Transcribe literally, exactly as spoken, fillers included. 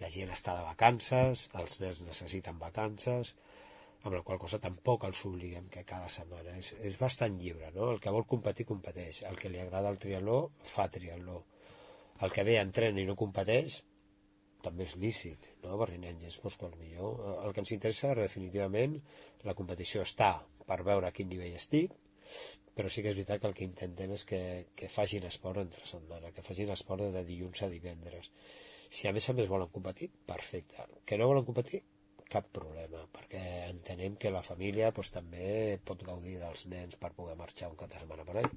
la gent està de vacances, els nens necessiten vacances, amb la qual cosa tampoc els obliguem que cada setmana és, és bastant lliure, no? El que vol competir, competeix. El que li agrada el triatló, fa triatló. El que ve entrena i no competeix, també és lícit, no? Perquè n'hi ha gens doncs, que millor. El que ens interessa, definitivament, la competició està per veure a quin nivell estic, però sí que és veritat que el que intentem és que, que facin esport entre setmana, que facin esport de dilluns a divendres. Si a més a més volen competir, perfecte. Que no volen competir, cap problema, perquè entenem que la família doncs, també pot gaudir dels nens per poder marxar un cap de setmana per allà.